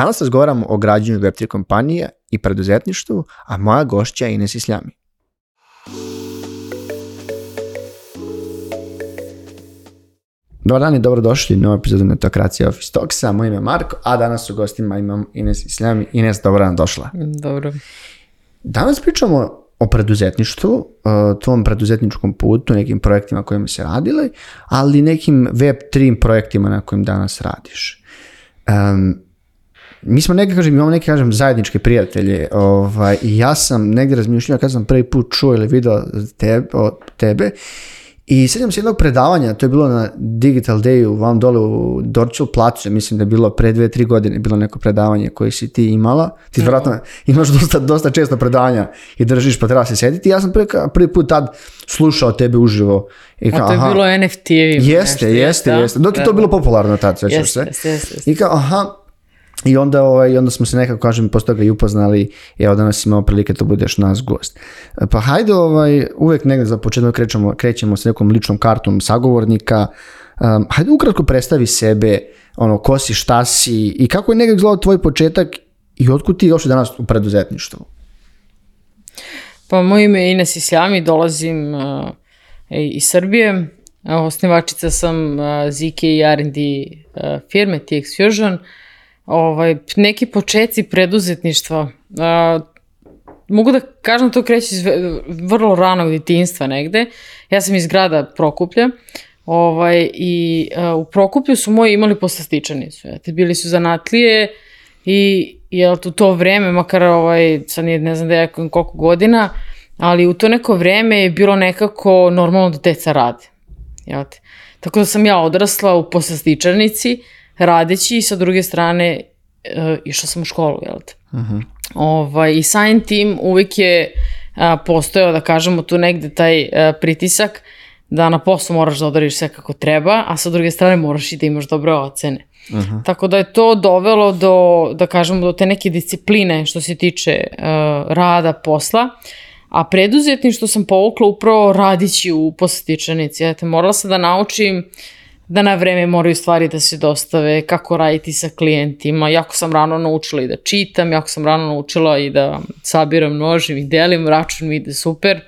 Danas razgovaramo o građenju Web3 kompanije i preduzetništvu, a moja gošća je Ines Isljami. Dobar dan i dobrodošli u novu epizodu Netokracija Office Talksa. Moje ime je Marko, a danas u gostima imam Ines Isljami. Ines, dobar dan došla. Dobro. Danas pričamo o preduzetništvu, tvom preduzetničkom putu, nekim projektima kojima se radili, ali nekim Web3 projektima na kojim danas radiš. Mi smo imamo neke zajedničke prijatelje i ja sam negdje razmišljao kad sam prvi put čuo ili video tebe i sjećam se jednog predavanja, to je bilo na Digital Dayu vam dole u Dorčel placu, mislim da je bilo pre 2-3 godine bilo neko predavanje koje si ti imala. Ti vjerojatno imaš dosta često predavanja i držiš pa treba se sjediti. Ja sam prvi put tad slušao tebe uživo. I kao, to je bilo NFT-evima. Jeste. Dok je to bilo popularno tad, svećaš se. I kao, I onda smo se nekako, posle toga i upoznali i evo danas imamo prilike da budeš nas gost. Pa hajde, uvek negdje za početak krećemo s nekom ličnom kartom sagovornika. Hajde ukratko predstavi sebe, ko si, šta si i kako je negdje izgledao tvoj početak i otkud ti došli danas u preduzetništvu? Pa moje ime je Ines Isljami, dolazim iz Srbije. Osnivačica sam ZK i R&D firme TX Fusion. Neki početci preduzetništva, mogu da kažem to kreće iz vrlo ranog djetinjstva negde. Ja sam iz grada Prokuplja i u Prokuplju su moji imali poslastičarnicu. Bili su zanatlije i u to vreme, makar sad ne znam da je koliko godina, ali u to neko vreme je bilo nekako normalno da deca rade. Tako da sam ja odrasla u poslastičarnici, radeći i sa druge strane išla sam u školu, I samim tim uvijek je postojao, da kažemo, tu negde taj pritisak da na poslu moraš da odrediš sve kako treba, a sa druge strane moraš i da imaš dobre ocene. Tako da je to dovelo do te neke discipline što se tiče rada, posla, a preduzetništvo sam povukla upravo radići u poslastičarnici. Morala sam da naučim da na vreme moraju stvari da se dostave, kako raditi sa klijentima. Jako sam rano naučila i da čitam, jako sam rano naučila i da sabiram, množim i delim, račun mi ide super.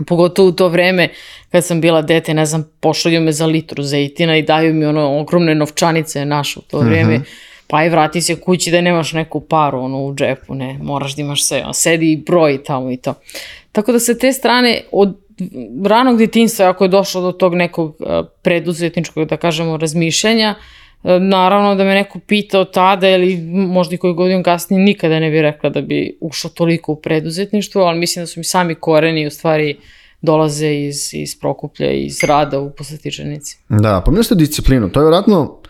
Pogotovo u to vreme kad sam bila dete, ne znam, pošalju me za litru zejtina i daju mi ogromne novčanice naše u to vreme. Pa i vrati se kući da nemaš neku paru u džepu, ne, moraš da imaš sve, sedi i broji tamo i to. Tako da se te strane od ranog djetinjstva, ako je došlo do tog nekog preduzetničkog, da kažemo, razmišljanja, naravno da me neko pitao tada ili možda i koju godinu kasnije, nikada ne bih rekla da bi ušla toliko u preduzetništvo, ali mislim da su mi sami koreni u stvari dolaze iz Prokuplja i iz rada u poslastičarnici. Da, pomenuli ste disciplinu, to je vjerojatno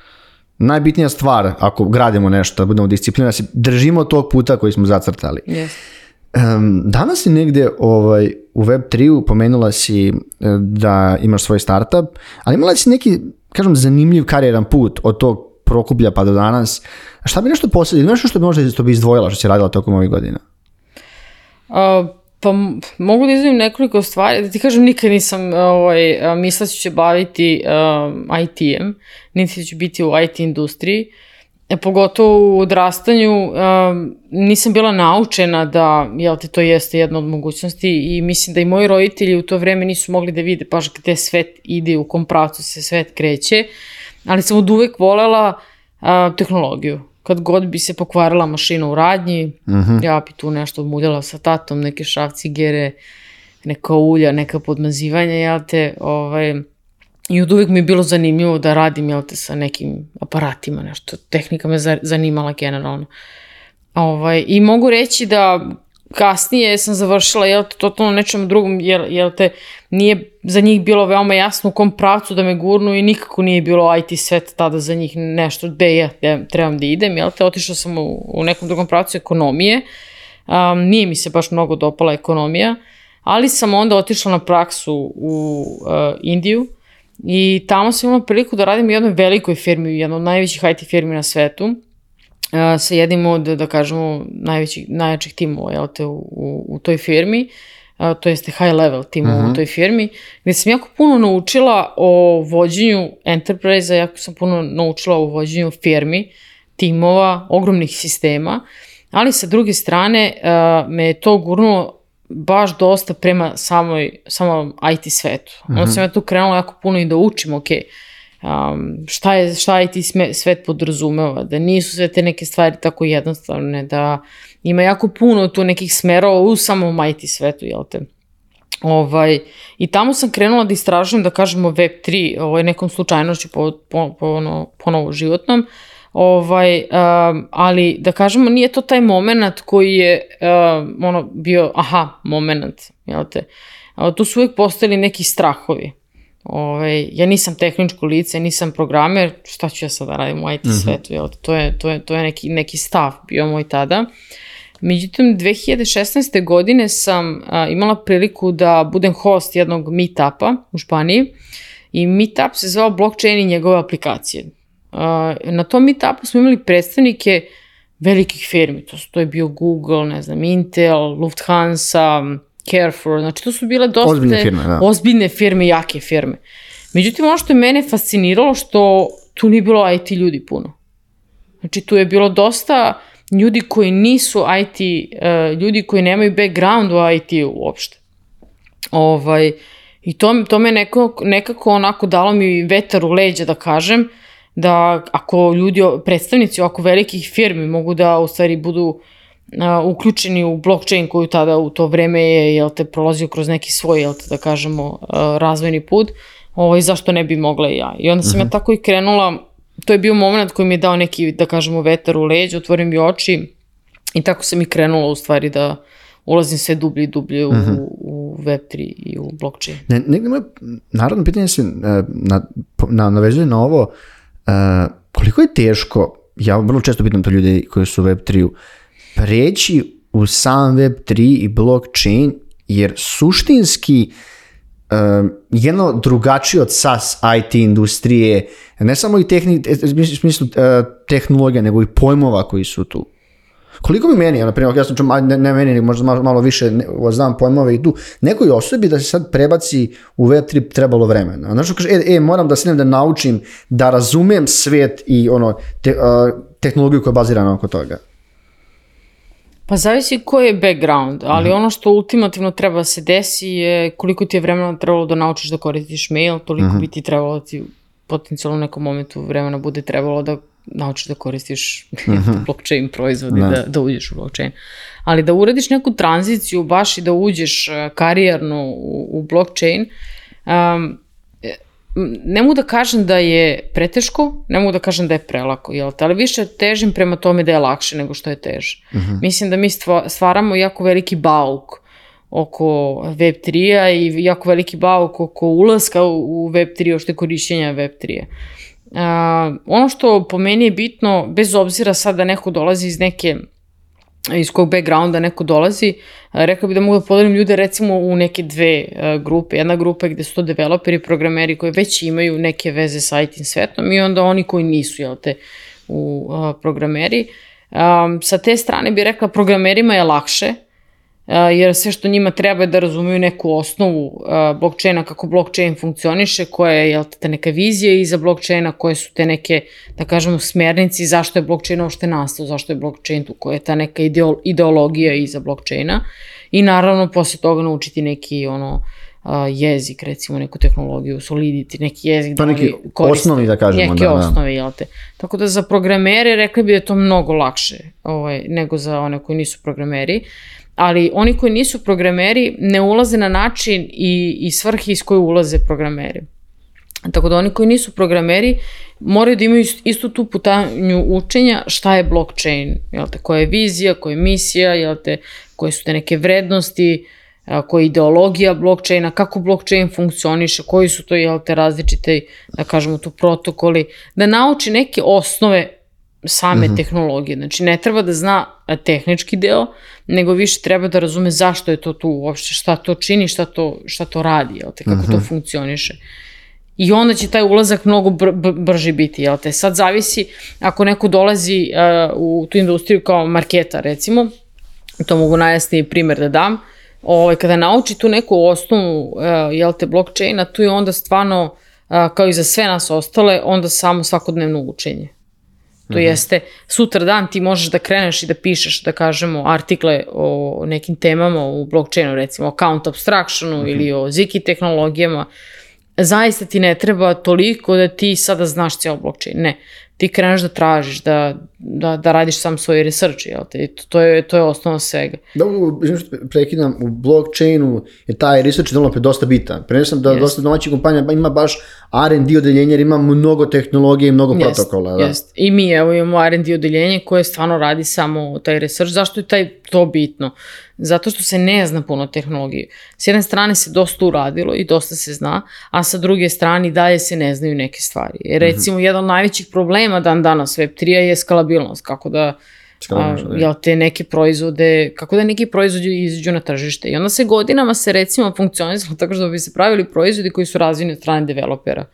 najbitnija stvar ako gradimo nešto, da budemo disciplina, da se držimo tog puta koji smo zacrtali. Yes. Danas si negdje u Web3 pomenula si da imaš svoj startup, ali imala si neki, zanimljiv karijeran put od tog Prokuplja pa do danas. Šta bi nešto posebno, nešto što bi možda bi izdvojila što si radila tokom ovih godina? Pa mogu da izdvojim nekoliko stvari. Da ti kažem, nikad nisam mislila ću se baviti IT-em, niti ću biti u IT industriji. Pogotovo u odrastanju nisam bila naučena da to jeste jedna od mogućnosti i mislim da i moji roditelji u to vreme nisu mogli da vide baš gde svet ide, u kom pravcu se svet kreće, ali sam od uvek volela tehnologiju. Kad god bi se pokvarila mašina u radnji, ja bi tu nešto muljala sa tatom, neke šrafcigere, neka ulja, neka podmazivanja, i od uvijek mi je bilo zanimljivo da radim, sa nekim aparatima, nešto. Tehnika me zanimala generalno. I mogu reći da kasnije sam završila, totalno nečem drugom, nije za njih bilo veoma jasno u kom pravcu da me gurnu i nikako nije bilo IT svet tada za njih nešto gde ja trebam da idem, otišla sam u nekom drugom pravcu ekonomije. Nije mi se baš mnogo dopala ekonomija, ali sam onda otišla na praksu u Indiju, i tamo sam imala priliku da radim u jednoj velikoj firmi, jednoj od najvećih IT firmi na svetu, sa jednim od, da kažemo, najjačih timova u toj firmi, to jeste high level timova u toj firmi, gdje sam jako puno naučila o vođenju enterprise-a, jako sam puno naučila o vođenju firmi, timova, ogromnih sistema, ali sa druge strane me je to gurnulo baš dosta prema samom IT svetu. Onda sam ja tu krenula jako puno i da učim, šta IT svet podrazumeva, da nisu sve te neke stvari tako jednostavne, da ima jako puno tu nekih smerova u samom IT svetu, jel te? I tamo sam krenula da istražujem, da kažemo, Web3, nekom slučajnošću ponovo životnom, ali da kažemo nije to taj moment koji je bio moment, jel te? Tu su uvijek postojali neki strahovi. Ja nisam tehničko lice, nisam programer, šta ću ja sada radim u IT svetu, jel te? To je neki stav bio moj tada. Međutim, 2016. godine sam imala priliku da budem host jednog meetupa u Španiji i meetup se zvao Blockchain i njegove aplikacije. Na tom meetupu smo imali predstavnike velikih firmi, to je bio Google, ne znam, Intel, Lufthansa, Carrefour, znači to su bile dosta ozbiljne firme, jake firme. Međutim, ono što je mene fasciniralo, što tu nije bilo IT ljudi puno. Znači, tu je bilo dosta ljudi koji nisu IT, ljudi koji nemaju background u IT-u uopšte. I to me nekako onako dalo mi vetar u leđa, da kažem, da ako ljudi, predstavnici ovako velikih firmi mogu da u stvari budu uključeni u blockchain koju tada u to vreme je, prolazio kroz neki svoj, da kažemo, razvojni put, zašto ne bi mogla i ja. I onda sam ja tako i krenula. To je bio moment koji mi je dao neki, da kažemo, vetar u leđa, otvorio mi oči i tako sam i krenula u stvari da ulazim sve dublje i dublje u Web3 i u blockchain. Negdje moje narodno pitanje se navezuje na ovo, koliko je teško, ja vrlo često pitam to ljudi koji su u Web3-u, preći u sam Web3 i blockchain, jer suštinski jedno drugačije od SaaS IT industrije, ne samo i u smislu tehnologija, nego i pojmova koji su tu. Koliko bi meni, na primjer, ja sam čuo, ne meni, možda malo više znam pojmove i tu, nekoj osobi da se sad prebaci u Web3 trebalo vremena. Znači, kaže, moram da sednem da naučim, da razumem svijet i tehnologiju koja je bazirana oko toga. Pa zavisi koji je background, ali ono što ultimativno treba da se desi je koliko ti je vremena trebalo da naučiš da koristiš mail, toliko bi ti trebalo da ti potencijalno u nekom momentu vremena bude trebalo da naučiš da koristiš blockchain proizvod i da uđeš u blockchain. Ali da uradiš neku tranziciju baš i da uđeš karijerno u blockchain, ne mogu da kažem da je preteško, ne mogu da kažem da je prelako, ali više težim prema tome da je lakše nego što je teže. Mislim da mi stvaramo jako veliki bauk oko Web3-a i jako veliki bauk oko ulaska u Web3, ošte korišćenja Web3-a. Ono što po meni je bitno, bez obzira sad da neko dolazi iz kog backgrounda neko dolazi, rekao bih da mogu da podelim ljude recimo u neke dve grupe. Jedna grupa je gde su to developeri, programeri koji već imaju neke veze sa IT svetom i onda oni koji nisu, programeri. Sa te strane bih rekla programerima je lakše, jer sve što njima treba je da razumeju neku osnovu blockchaina, kako blockchain funkcioniše, koja je ta neka vizija iza blockchaina, koje su te neke, da kažemo, smernici, zašto je blockchain uopšte nastao, zašto je blockchain tu, koja je ta neka ideologija iza blockchaina i naravno posle toga naučiti neki jezik, recimo neku tehnologiju, Solidity, neki jezik. To neki osnovi, da kažemo. Neke osnovi, jel te. Tako da za programere rekli bi da je to mnogo lakše nego za one koji nisu programeri. Ali oni koji nisu programeri ne ulaze na način i svrhe iz koje ulaze programeri. Tako da oni koji nisu programeri moraju da imaju istu tu putanju učenja šta je blockchain, koja je vizija, koja je misija, koje su te neke vrednosti, koja je ideologija blockchaina, kako blockchain funkcioniše, koji su to različite, da kažemo tu protokoli, da nauči neke osnove same tehnologije. Znači, ne treba da zna tehnički deo, nego više treba da razume zašto je to tu uopšte, šta to čini, šta to radi, kako to funkcioniše. I onda će taj ulazak mnogo brži biti, Sad zavisi, ako neko dolazi u tu industriju kao marketar, recimo, to mogu najjasniji primjer da dam, kada nauči tu neku osnovu, blockchaina, tu je onda stvarno, kao i za sve nas ostale, onda samo svakodnevno učenje. To jeste, sutra dan ti možeš da kreneš i da pišeš, da kažemo, artikle o nekim temama u blockchainu, recimo o account abstractionu ili o Ziki tehnologijama. Zaista ti ne treba toliko da ti sada znaš cijel blockchain. Ne, ti kreneš da tražiš, da radiš sam svoj research, jel te? To je osnova svega. Da, prekidam, u blockchainu je taj research dosta bitan. Prenesam da dosta domaćih kompanija ima baš R&D odeljenje jer ima mnogo tehnologije i mnogo protokola. Jest. I mi imamo R&D odeljenje koje stvarno radi samo taj research. Zašto je to bitno? Zato što se ne zna puno tehnologije. S jedne strane se dosta uradilo i dosta se zna, a sa druge strane dalje se ne znaju neke stvari. Recimo, jedan od najvećih problema danas Web3-a je skalabilnost. Kako da neki proizvodi izađu na tržište. I onda se godinama recimo funkcionizalo tako što bi se pravili proizvodi koji su razvijeni od strane developera.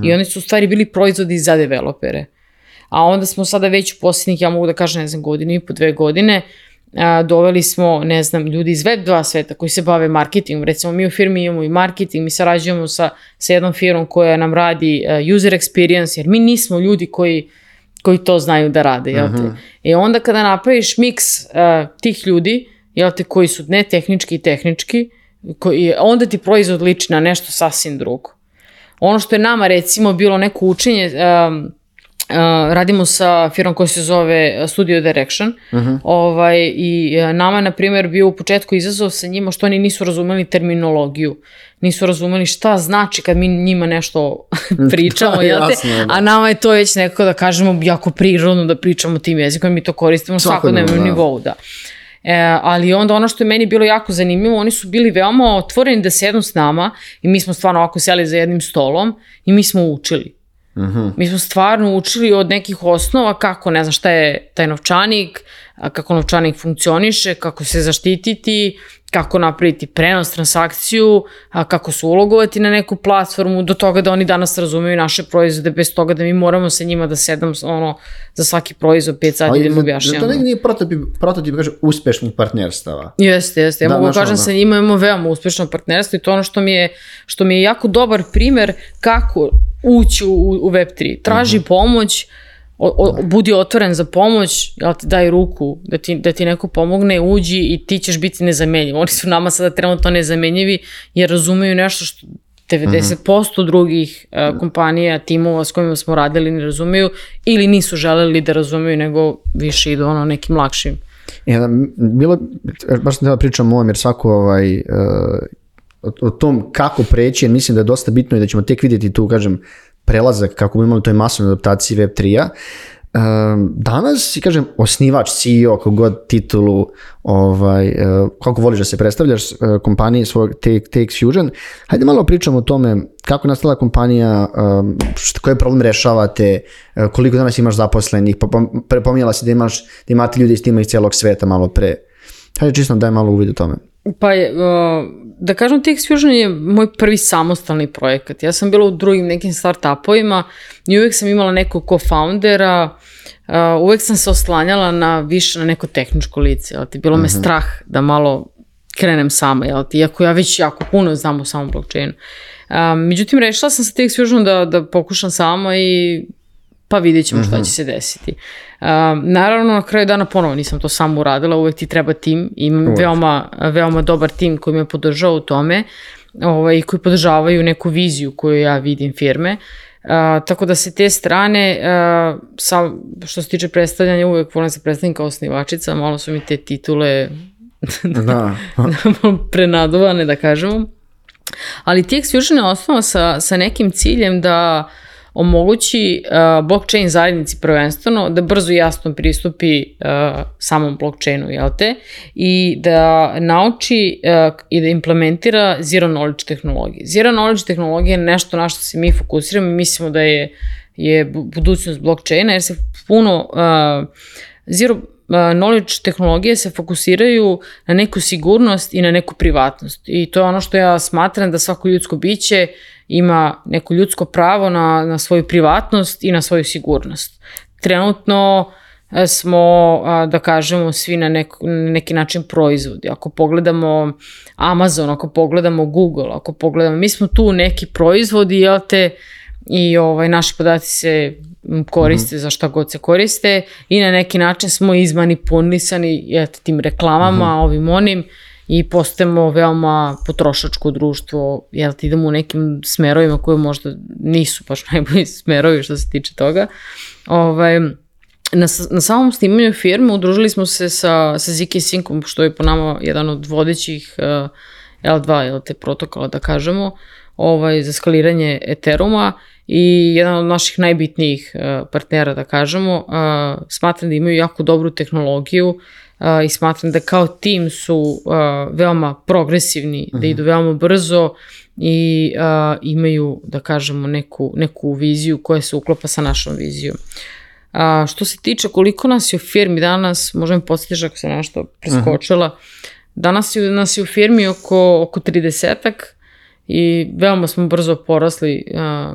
I oni su u stvari bili proizvodi za developere. A onda smo sada već u posljednjih, ja mogu da kažem, 1,5 godine, 2 godine, doveli smo, ljudi iz Web2 sveta koji se bave marketingom. Recimo, mi u firmi imamo i marketing, mi sarađujemo sa jednom firmom koja nam radi user experience, jer mi nismo ljudi koji to znaju da rade. I onda kada napraviš miks tih ljudi, koji su ne tehnički i tehnički, onda ti proizvod liči na nešto sasvim drugo. Ono što je nama, recimo, bilo neko učenje, radimo sa firmom koja se zove Studio Direction i nama je, na primjer, bio u početku izazov sa njima što oni nisu razumeli terminologiju, nisu razumeli šta znači kad mi njima nešto pričamo, a nama je to već nekako, da kažemo, jako prirodno da pričamo tim jezikom, mi to koristimo na svakodnevnom nivou, da. Ali onda ono što je meni bilo jako zanimljivo, oni su bili veoma otvoreni da sednu s nama i mi smo stvarno ovako seli za jednim stolom i mi smo učili. Mi smo stvarno učili od nekih osnova kako, ne znam šta je taj novčanik, kako novčanik funkcioniše, kako se zaštititi, kako napraviti prenos, transakciju, kako se ulogovati na neku platformu, do toga da oni danas razumeju naše proizvode, bez toga da mi moramo sa njima da sedam za svaki proizvod 5 sati da mi objašnjamo. To nije prototip uspešnih partnerstava. Jeste. Ja mogu kažem sa njima imamo veoma uspešno partnerstvo i to ono što mi je jako dobar primer kako ući u Web3. Traži pomoć, budi otvoren za pomoć, daj ruku da ti neko pomogne, uđi i ti ćeš biti nezamenjiv. Oni su nama sada trenutno nezamenjivi jer razumeju nešto što 90% drugih kompanija, timova s kojima smo radili ne razumeju ili nisu želeli da razumeju, nego više idu nekim lakšim. Baš sam da pričam o ovom jer svako o tom kako preći, jer mislim da je dosta bitno i da ćemo tek vidjeti tu, kažem, prelazak kako bi imali toj masovnoj adaptaciji Web3-a. Danas, kažem, osnivač, CEO, kako god titulu, kako voliš da se predstavljaš, kompanije svog TX Fusion, hajde malo pričamo o tome kako je nastala kompanija, koji problem rešavate, koliko danas imaš zaposlenih, pominjala si da imate ljudi iz tima iz cijelog sveta malo pre. Hajde čisto daj malo uvid o tome. Pa da kažem, TX Fusion je moj prvi samostalni projekat. Ja sam bila u drugim nekim startupovima i uvijek sam imala nekog co-foundera, uvijek sam se oslanjala više na neko tehničko lice. Bilo me strah da malo krenem sama, iako ja već jako puno znam o samom blockchainu. Međutim, rešila sam sa TX Fusion da pokušam sama i pa vidjet ćemo šta će se desiti. Naravno, na kraju dana ponovo nisam to samo uradila, uvek ti treba tim, imam veoma dobar tim koji me podržava u tome i koji podržavaju neku viziju koju ja vidim firme, tako da se te strane, što se tiče predstavljanja, uvek volim se predstavljati kao osnivačica, malo su mi te titule prenaduvane, da kažemo, ali TX Fusion je osnova sa nekim ciljem da omogući blockchain zajednici prvenstveno da brzo i jasno pristupi samom blockchainu, i da nauči i da implementira zero knowledge tehnologije. Zero knowledge tehnologija je nešto na što se mi fokusiramo i mislimo da je budućnost blockchaina, jer se puno zero knowledge tehnologije se fokusiraju na neku sigurnost i na neku privatnost. I to je ono što ja smatram da svako ljudsko biće ima neko ljudsko pravo na svoju privatnost i na svoju sigurnost. Trenutno smo, da kažemo, svi na neki način proizvodi. Ako pogledamo Amazon, ako pogledamo Google, ako pogledamo, mi smo tu neki proizvodi, i naši podaci se koriste za šta god se koriste i na neki način smo izmanipulisani tim reklamama, ovim onim i postajemo veoma potrošačko društvo, idemo u nekim smerovima koje možda nisu baš najbolji smerovi što se tiče toga. Na samom snimanju firme udružili smo se sa ZK Syncom, što je po nama jedan od vodećih L2 protokola, da kažemo, za skaliranje Ethereuma i jedan od naših najbitnijih partnera, da kažemo. Smatram da imaju jako dobru tehnologiju i smatram da kao tim su veoma progresivni, da idu veoma brzo i imaju, da kažemo, neku viziju koja se uklapa sa našom vizijom. Što se tiče koliko nas je u firmi danas, možda mi podsjetiš ako se nešto preskočila, danas nas je u firmi oko 30-ak i veoma smo brzo porasli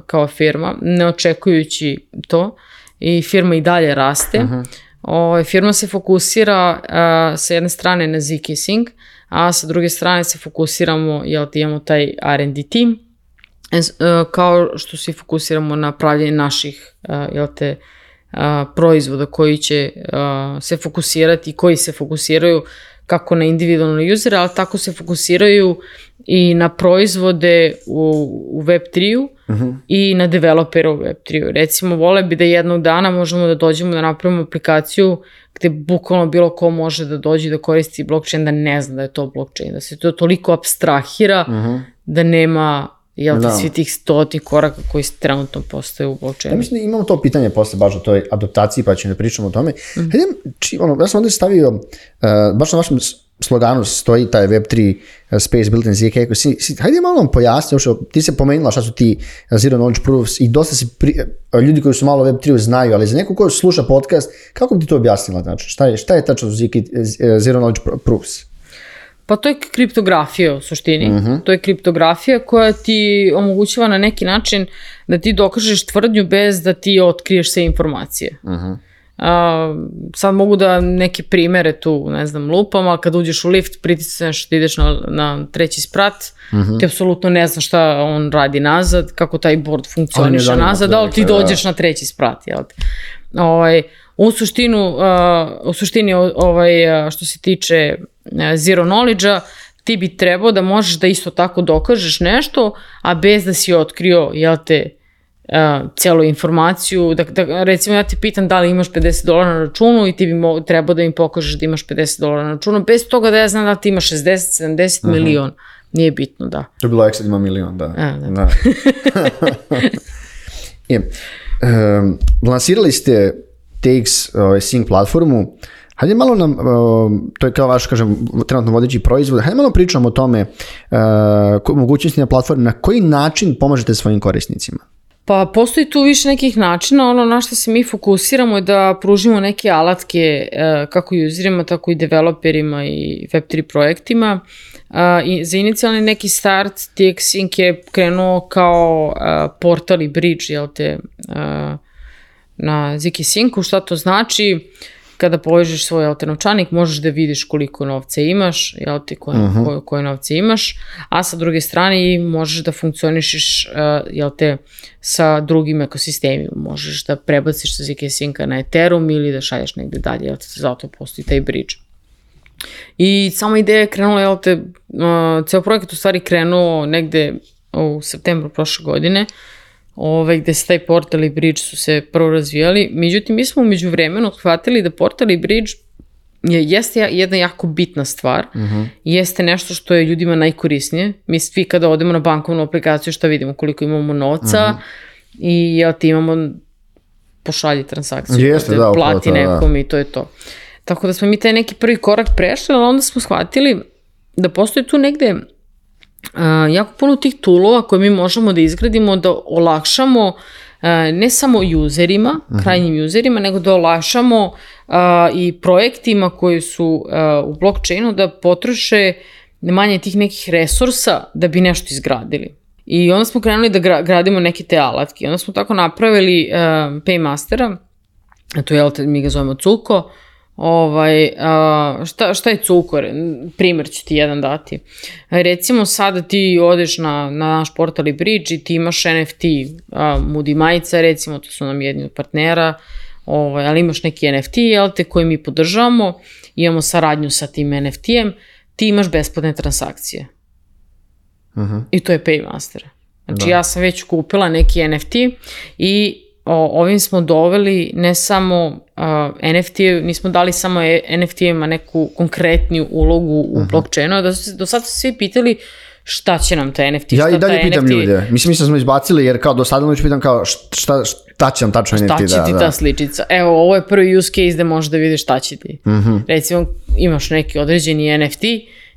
kao firma, ne očekujući to, i firma i dalje raste. Firma se fokusira sa jedne strane na ZK Sync, a sa druge strane se fokusiramo, imamo taj R&D team, kao što se fokusiramo na pravljenje naših, proizvoda koji će se fokusirati i koji se fokusiraju kako na individualne usere, ali tako se fokusiraju i na proizvode u Web3-u i na developere u Web3-u. Recimo, vole bi da jednog dana možemo da dođemo da napravimo aplikaciju gde bukvalno bilo ko može da dođe da koristi blockchain, da ne zna da je to blockchain, da se to toliko abstrahira da nema svi tih 100 koraka koji trenutno postoje u blockchainu. Ja mislim da imamo to pitanje posle baš o toj adaptaciji, pa ćemo da pričamo o tome. Ja sam ovdje stavio, baš na vašem sloganu stoji taj Web3 Space Built in ZK. Hajde malo nam pojasni, ti se pomenula šta su ti Zero Knowledge Proofs i dosta se ljudi koji su malo Web3 znaju, ali za neko ko sluša podcast, kako bi ti to objasnila? Znači, šta je tačno Zero Knowledge Proofs? Pa to je kriptografija u suštini. To je kriptografija koja ti omogućava na neki način da ti dokažeš tvrdnju bez da ti otkriješ sve informacije. Sad mogu da neke primere tu, ne znam, lupam, ali kad uđeš u lift, pritisneš da ideš na 3. sprat, ti apsolutno ne znaš šta on radi nazad, kako taj board funkcioniše nazad, ali ti dođeš na 3. sprat, jel te? U suštini, što se tiče zero knowledge-a, ti bi trebao da možeš da isto tako dokažeš nešto, a bez da si otkrio, jel te, celu informaciju. Recimo, ja te pitam da li imaš $50 na računu i ti bi trebao da im pokažeš da imaš $50 na računu, bez toga da ja znam da ti imaš 60, 70 milion. Nije bitno, da. To je bilo ekstra, ima milion, da. Lansirali ste TX Sync platformu. Hajde malo nam, to je kao vaš, kažem, trenutno vodeći proizvod, hajde malo pričamo o tome, mogućnosti na platformi, na koji način pomažete svojim korisnicima? Pa postoji tu više nekih načina, ono na što se mi fokusiramo je da pružimo neke alatke kako userima, tako i developerima i Web3 projektima. I za inicijalni neki start TX Sync je krenuo kao portal i bridge, jel te, na ZK Syncu. Šta to znači? Kada povežeš svoj novčanik, možeš da vidiš koliko novca imaš, jel ti, koje novce imaš, a sa druge strane možeš da funkcionišiš, jel te, sa drugim ekosistemima. Možeš da prebaciš sa ZK Synca na Ethereum ili da šalješ negde dalje, jel te, zato postoji taj bridge. I sama ideja je krenula, jel te, ceo projekat u stvari krenuo negde u septembru prošle godine, gde se taj portal i bridge su se prvo razvijali. Međutim, mi smo umeđu vremenu shvatili da portal i bridge jeste jedna jako bitna stvar. Jeste nešto što je ljudima najkorisnije. Mi svi kada odemo na bankovnu aplikaciju šta vidimo, koliko imamo novca i jel ti imamo pošalji transakciju, plati nekom i to je to. Tako da smo mi taj neki prvi korak prešli, ali onda smo shvatili da postoji tu negde jako puno tih toolova koje mi možemo da izgradimo, da olakšamo ne samo userima, krajnjim userima, nego da olakšamo i projektima koji su u blockchainu da potroše manje tih nekih resursa da bi nešto izgradili. I onda smo krenuli da gradimo neke te alatke. Onda smo tako napravili Paymastera, to je, mi ga zovemo Cuko, Šta je cukor? Primer ću ti jedan dati. Recimo sada ti odeš na naš portal i Bridge i ti imaš NFT, Moody majica recimo, to su nam jedni od partnera, ali imaš neki NFT, jel te, koji mi podržavamo, imamo saradnju sa tim NFT-em, ti imaš besplatne transakcije. I to je Paymaster. Znači ja sam već kupila neki NFT i ovim smo doveli ne samo NFT, nismo dali samo NFT-ima neku konkretniju ulogu u blockchainu, do sad su svi pitali šta će nam taj NFT, ja i dalje pitam ljude, mislim da smo izbacili jer kao do sada već pitam kao šta će nam tačno NFT. Šta će ti ta sličica? Evo, ovo je prvi use case gde možeš da vidiš šta će ti. Recimo, imaš neki određeni NFT,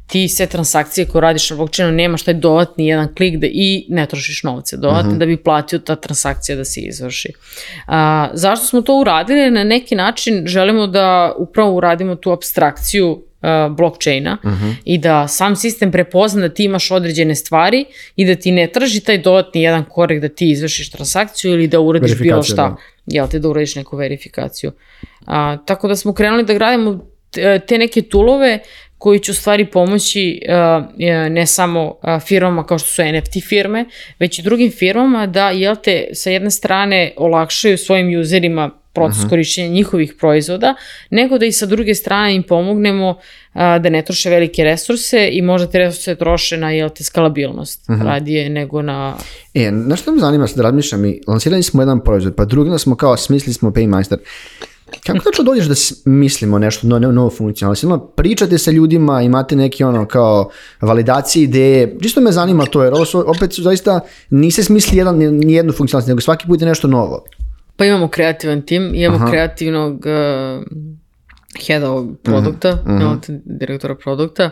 ti sve transakcije koje radiš na blockchainu nemaš taj dodatni jedan klik i ne trošiš novce dodatno da bi platio ta transakcija da se izvrši. Zašto smo to uradili? Na neki način želimo da upravo uradimo tu apstrakciju blockchaina i da sam sistem prepozna da ti imaš određene stvari i da ti ne traži taj dodatni jedan korek da ti izvršiš transakciju ili da uradiš bilo šta. Jel te, da uradiš neku verifikaciju. Tako da smo krenuli da gradimo te neke toolove koji će u stvari pomoći ne samo firmama kao što su NFT firme, već i drugim firmama da, jel te, sa jedne strane olakšaju svojim userima proces korišćenja njihovih proizvoda, nego da i sa druge strane im pomognemo da ne troše velike resurse i možda te resurse troše na, jel te, skalabilnost radije nego na... Znaš što me zanima, sad razmišljam, mi lansirali smo jedan proizvod, pa drugi smo kao smislili smo Paymaster. Kako tačno dođeš da mislimo nešto novo funkcionalno? Pričate sa ljudima, imate neki kao validacije ideje, čisto me zanima to, jer opet zaista niste smisli nijednu funkcionalnost, nego svaki put je nešto novo. Pa imamo kreativan tim, imamo kreativnog heada produkta, direktora produkta,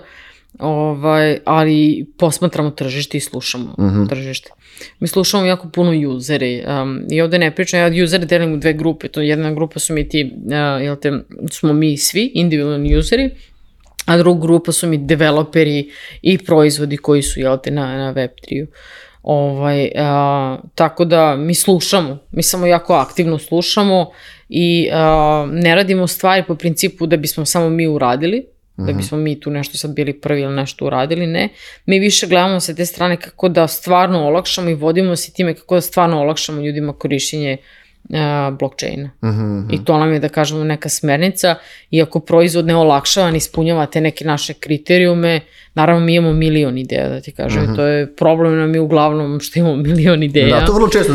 ali posmatramo tržište i slušamo tržište. Mi slušamo jako puno usere i ovde ne pričam, ja usere delim u dve grupe, to jedna grupa su mi ti, smo mi svi, individualni useri, a druga grupa su mi developeri i proizvodi koji su, na Web3-u. Tako da mi slušamo, mi samo jako aktivno slušamo i ne radimo stvari po principu da bismo samo mi uradili, da bismo mi tu nešto sad bili prvi ili nešto uradili, ne. Mi više gledamo sa te strane kako da stvarno olakšamo i vodimo se time kako da stvarno olakšamo ljudima korišćenje blockchaina. I to nam je, da kažemo, neka smernica. Iako proizvod ne olakšava, ne ispunjava te neke naše kriterijume, naravno mi imamo milion ideja, da ti kažem. To je problem nam je uglavnom što imamo milion ideja. Da, to vrlo često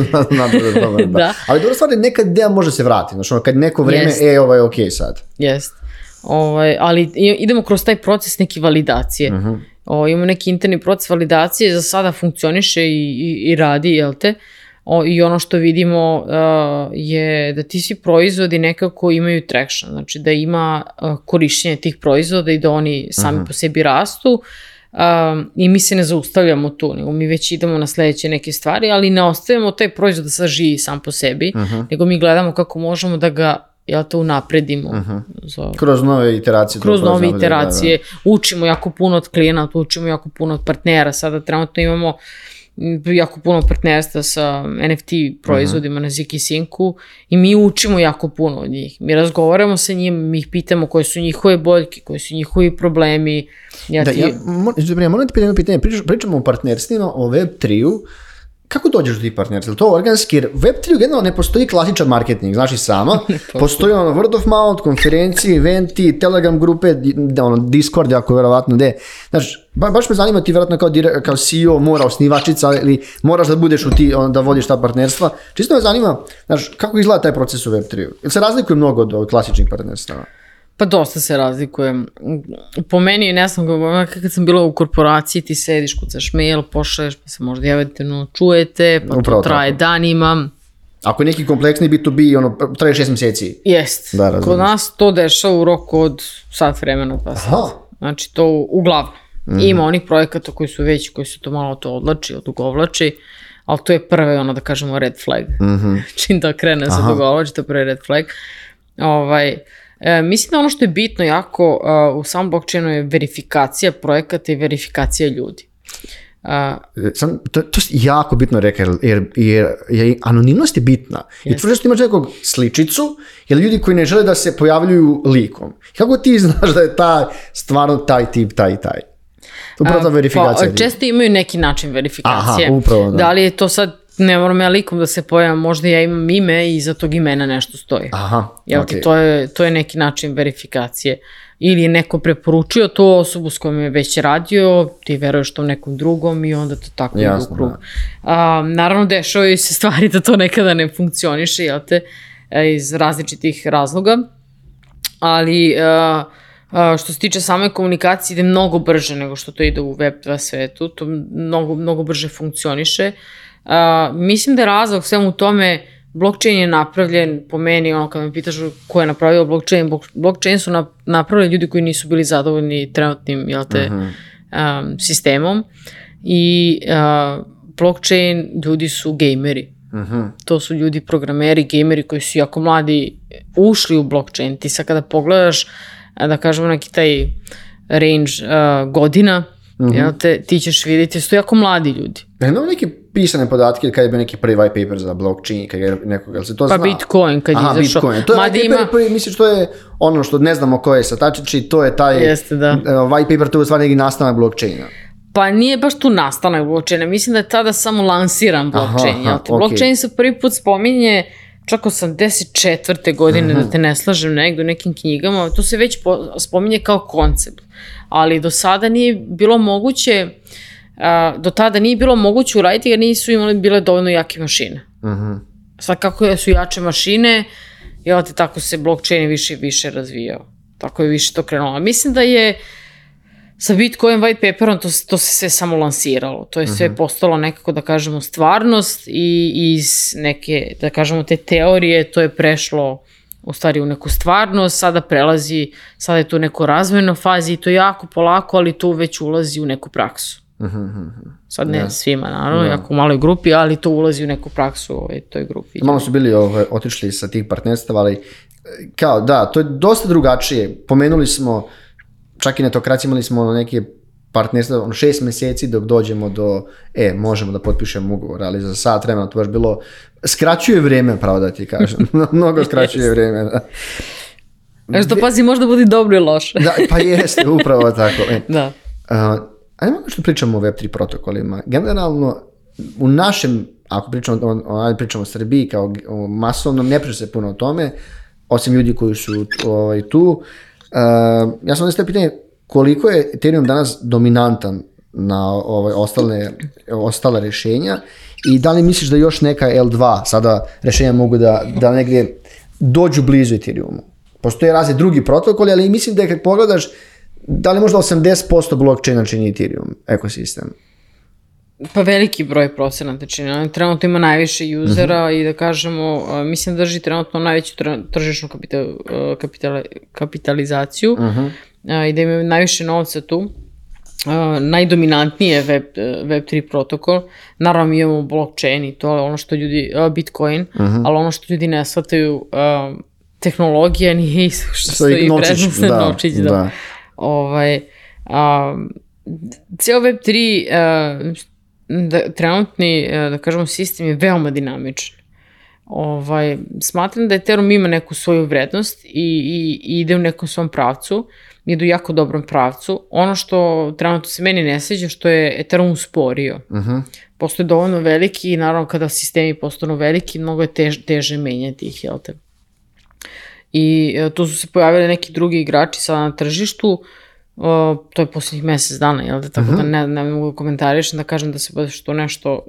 da. Ali dobro stvar je, neka ideja može se vratiti. Znači, kad neko vreme, ovo je okej sad. Jest. Ali idemo kroz taj proces neke validacije. Imamo neki interni proces validacije, za sada funkcioniše i radi, jel te? I ono što vidimo je da ti svi proizvodi nekako imaju traction, znači da ima korišćenje tih proizvoda i da oni sami po sebi rastu i mi se ne zaustavljamo tu, nego mi već idemo na sledeće neke stvari, ali ne ostavljamo taj proizvod da sad živi sam po sebi, nego mi gledamo kako možemo da ga unapredimo. Kroz nove iteracije. Kroz nove iteracije. Učimo jako puno od klijenata, učimo jako puno od partnera. Sada trenutno imamo jako puno partnerstva sa NFT proizvodima na Zik i Sinku i mi učimo jako puno od njih. Mi razgovaramo sa njima, mi ih pitamo koje su njihove boljke, koji su njihovi problemi. Moram ti pitati pitanje, pričamo o partnerstvima, o Web3-u. Kako dođeš do tih partnerstva? To organski, jer Web3 generalno ne postoji klasičan marketing, znaš i sama. Postoji word of mouth, konferencije, eventi, Telegram grupe, Discord, jako verovatno gde. Znaš, baš me zanima, ti verovatno kao CEO mora osnivačica ili moraš da budeš da vodiš ta partnerstva. Čisto me zanima, znaš, kako izgleda taj proces u Web3? Jel se razlikuje mnogo od klasičnih partnerstava? Pa dosta se razlikuje. Po meni, ne znam, kad sam bila u korporaciji, ti sediš, kucaš mail, pošalješ, pa se možda javite, čujete, pa to traje danima. Ako je neki kompleksni B2B, traje 6 meseci. Jest. Kod nas to dešava u roku od sat vremena, pa sat. Znači to uglavnom. Ima onih projekata koji su veći, koji se to malo odugovlači, ali to je prve, da kažemo, red flag. Čim da krene se odugovlači, to je prvi red flag. Mislim da ono što je bitno jako u samom blockchainu je verifikacija projekata i verifikacija ljudi. To je jako bitno reka, jer anonimnost je bitna. I tvrđe što imaš nekog sličicu, jer ljudi koji ne žele da se pojavljuju likom. Kako ti znaš da je stvarno taj tip, taj. Upravo ta verifikacija. Često imaju neki način verifikacije. Aha, upravo, da li je to sad, ne moram ja likom da se pojavim, možda ja imam ime i iza tog imena nešto stoji. Aha, to je neki način verifikacije. Ili je neko preporučio tu osobu s kojom je već radio, ti veruješ tom nekom drugom i onda to tako ide u krug. Naravno, dešavaju se stvari da to nekada ne funkcioniše, jel te, iz različitih razloga, ali što se tiče same komunikacije ide mnogo brže nego što to ide u Web2 svetu, to mnogo brže funkcioniše. Mislim da je razlog svemu u tome, blockchain je napravljen, po meni, kad me pitaš ko je napravio blockchain su napravili ljudi koji nisu bili zadovoljni trenutnim, sistemom i blockchain ljudi su gejmeri. To su ljudi programeri, gejmeri koji su jako mladi ušli u blockchain. Ti sad kada pogledaš, da kažemo neki taj range godina, ti ćeš vidjeti da su to jako mladi ljudi. Imamo neke pisane podatke kada je bio neki prvi white paper za blockchain, kada je nekog, jel se to zna? Pa Bitcoin kad je izašao. Bitcoin. To je white paper prvi, misliš, to je ono što ne znamo ko je satačići, to je taj white paper, to je stvarno neki nastanak blockchaina. Pa nije baš tu nastanak blockchaina, mislim da je tada samo lansiran blockchain. Blockchain se prvi put spominje čak 84. godine, da te ne slažem negdje u nekim knjigama, to se već spominje kao koncept, ali do sada nije bilo moguće, do tada nije bilo moguće uraditi jer nisu bile dovoljno jake mašine. Sad kako su jače mašine, tako se blockchain više i više razvijao. Tako je više to krenulo. Mislim da je sa Bitcoin white paperom to se sve samo lansiralo. To je sve postalo nekako, da kažemo, stvarnost i iz neke, da kažemo, te teorije to je prešlo u stvari u neku stvarnost, sada je to u nekoj razvojnoj fazi i to jako polako, ali to već ulazi u neku praksu. Sad ne svima, naravno, jako u maloj grupi, ali to ulazi u neku praksu u toj grupi. Malo su bili otišli sa tih partnerstava, ali kao da, to je dosta drugačije. Pomenuli smo, čak i na Netokraciji imali smo neke partnerstva, 6 mjeseci dok dođemo do, možemo da potpišemo ugovor, ali za sat vremena to baš bilo, skraćuje vrijeme, pravo da ti kažem, mnogo skraćuje vrijeme, da. Što pazi, možda bude dobro i loše. Da, pa jeste, upravo tako. Da. Ajmo što pričamo o Web3 protokolima. Generalno, u našem, ako pričamo o Srbiji kao o masovnom, ne priča se puno o tome, osim ljudi koji su tu. Ja sam onda pitanje, koliko je Ethereum danas dominantan na ostale rješenja i da li misliš da još neka L2 sada rješenja mogu da negdje dođu blizu Ethereumu? Postoje razni drugi protokoli, ali mislim da kad pogledaš, da li možda 80% blockchaina čini Ethereum ekosistem? Pa veliki broj procenata čini. Trenutno ima najviše usera i da kažemo, mislim da drži trenutno najveću tržišnu kapitalizaciju i da imaju najviše novca tu. Najdominantniji je Web3 protokol. Naravno mi imamo blockchain i to je ono što ljudi, Bitcoin, ali ono što ljudi ne shvataju, tehnologija nije isto što stoji prednost na novčić. Cijel Web3 trenutni, da kažemo, sistem je veoma dinamičan. Smatram da Ethereum ima neku svoju vrednost i ide u nekom svom pravcu, ide u jako dobrom pravcu. Ono što trenutno se meni ne sviđa, što je Ethereum usporio. Postoje dovoljno veliki i naravno kada sistemi postanu veliki, mnogo je teže menjati ih, jel te? I tu su se pojavili neki drugi igrači sada na tržištu, to je posljednjih mjesec dana, jel da, tako da ne mogu komentarišem da kažem da se baš to nešto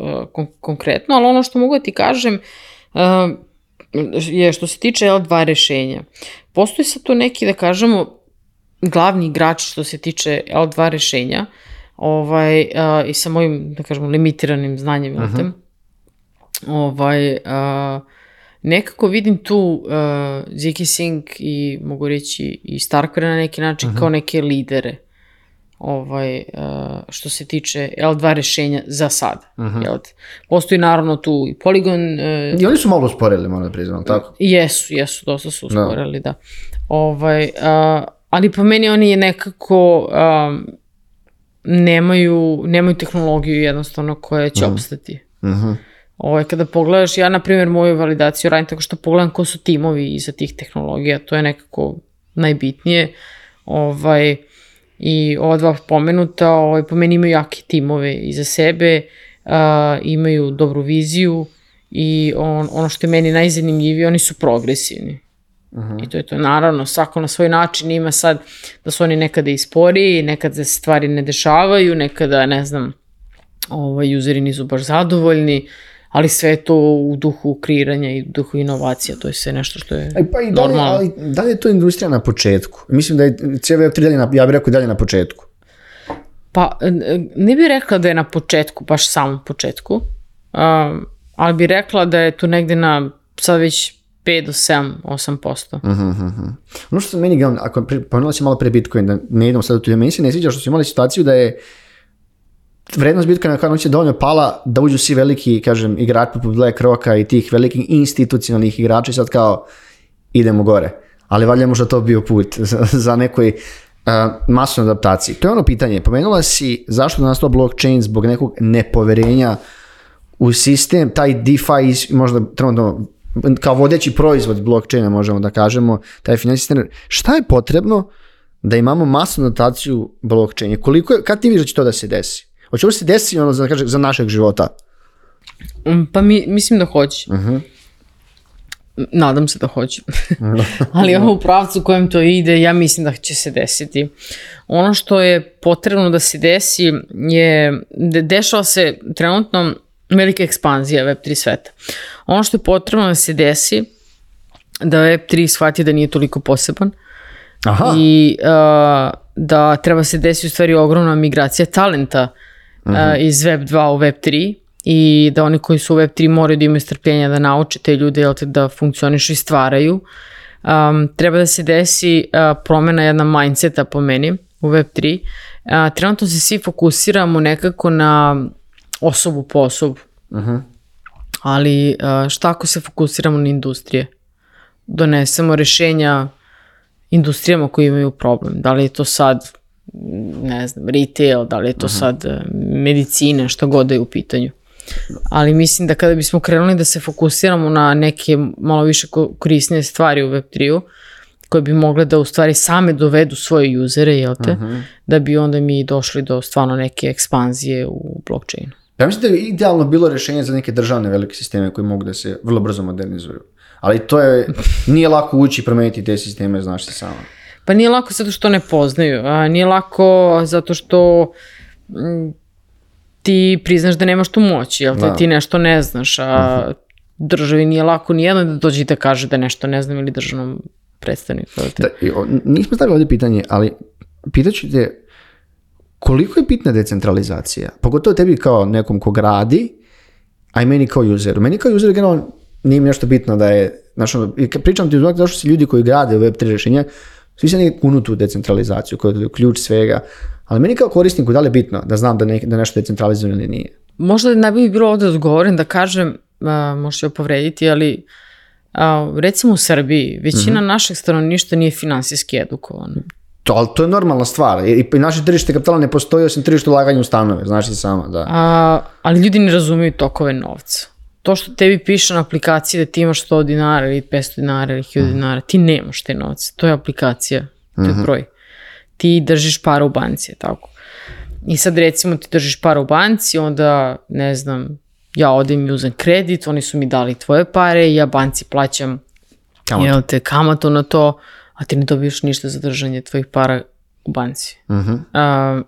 konkretno, ali ono što mogu da ti kažem je što se tiče L2 rješenja. Postoji sad tu neki, da kažemo, glavni igrači što se tiče L2 rješenja i sa mojim, da kažemo, limitiranim znanjem, jel te? Nekako vidim tu Ziki Singh i mogu reći i Starkware na neki način kao neke lidere što se tiče L2 rješenja za sad. Postoji naravno tu i Polygon. I oni su malo usporili, moram da priznam, tako? Jesu, dosta su usporili, da. Ali po meni oni je nekako nemaju tehnologiju jednostavno koja će opstati. Kada pogledaš, ja na primjer moju validaciju radim tako što pogledam ko su timovi iza tih tehnologija, to je nekako najbitnije. I ova dva pomenuta, po meni imaju jake timove iza sebe, imaju dobru viziju i ono što je meni najzanimljivije, oni su progresivni. I to je to. Naravno, svako na svoj način ima sad da su oni nekada i sporiji, nekada se stvari ne dešavaju, nekada, ne znam, useri nisu baš zadovoljni, ali sve je to u duhu kreiranja i u duhu inovacija, to je sve nešto što je normalno. Ali da li je to industrija na početku? Mislim da je Web3 ja bih rekao dalje na početku. Pa, ne bih rekla da je na početku, baš samom početku, ali bih rekla da je tu negde na sad već 5 do 7-8%. Ono što meni, ako pomenula si malo pre Bitcoin, da ne idemo sad u tu, meni se ne sviđa što su imali situaciju da je vrednost Bitcoina kao noć je dovoljno pala da uđu svi veliki, kažem, igrači poput BlackRocka i tih velikih institucionalnih igrača i sad kao idemo gore. Ali valjda možda to bio put za nekoj masnoj adaptaciji. To je ono pitanje. Pomenula si zašto je nastao blockchain zbog nekog nepoverenja u sistem, taj DeFi možda trenutno kao vodeći proizvod blockchaina možemo da kažemo, taj financijski sistem. Šta je potrebno da imamo masnu adaptaciju blockchaina? Kad ti vidiš da će to da se desi? Hoće li se desiti ono za našeg života? Pa mislim da hoće. Nadam se da hoće. Ali ovo u pravcu u kojem to ide, ja mislim da će se desiti. Ono što je potrebno da se desi je, dešava se trenutno velika ekspanzija Web3 sveta. Ono što je potrebno da se desi, da Web3 shvati da nije toliko poseban. Aha. I da treba se desiti u stvari ogromna migracija talenta iz Web2 u Web3 i da oni koji su u Web3 moraju da imaju strpljenja da nauče te ljude da funkcionišu i stvaraju. Treba da se desi promena jedna mindseta po meni u Web3. Trenutno se svi fokusiramo nekako na osobu po osobu. Ali šta ako se fokusiramo na industrije? Donesemo rešenja industrijama koji imaju problem. Da li je to sad, ne znam, retail, da li je to sad medicina, što god da je u pitanju. Ali mislim da kada bismo krenuli da se fokusiramo na neke malo više korisnije stvari u Web3-u, koje bi mogle da u stvari same dovedu svoje usere, jel te? Da bi onda mi došli do stvarno neke ekspanzije u blockchainu. Ja mislim da je idealno bilo rješenje za neke državne velike sisteme koji mogu da se vrlo brzo modernizuju. Ali nije lako ući i promeniti te sisteme, znaš se sama. Pa nije lako zato što ne poznaju. Nije lako zato što ti priznaš da nemaš tu moć, jel te? Ti nešto ne znaš, a državi nije lako nijedno da dođe i da kaže da nešto ne znam ili državnom predstavniku. Nismo stavili ovdje pitanje, ali pitaću te koliko je bitna decentralizacija? Pogotovo tebi kao nekom ko gradi, a i meni kao useru. Meni kao useru generalno nije mi nešto bitno da je, i kad pričam ti zašto su ljudi koji grade Web3 rješenja, svi se nekako kunu tu decentralizaciju, koja je ključ svega, ali meni kao korisniku da li je bitno da znam da nešto decentralizujeno ili nije? Možda ne bi bilo ovdje odgovorim da kažem, možda ću povrediti, ali recimo u Srbiji, većina našeg stanovništva nije finansijski edukovana. Ali to je normalna stvar. I naše tržište kapitala ne postoji osim tržište ulaganja u stanove, znaš ti sama, da. Ali ljudi ne razumiju tokove novca. To što tebi piše na aplikaciji da ti imaš 100 dinara ili 500 dinara ili 1000 dinara, ti nemaš te novce. To je aplikacija, to je broj. Ti držiš para u banci, tako. I sad recimo ti držiš para u banci, onda, ne znam, ja odem i uzem kredit, oni su mi dali tvoje pare i ja banci plaćam kamatu na to, a ti ne dobiješ ništa za držanje tvojih para u banci.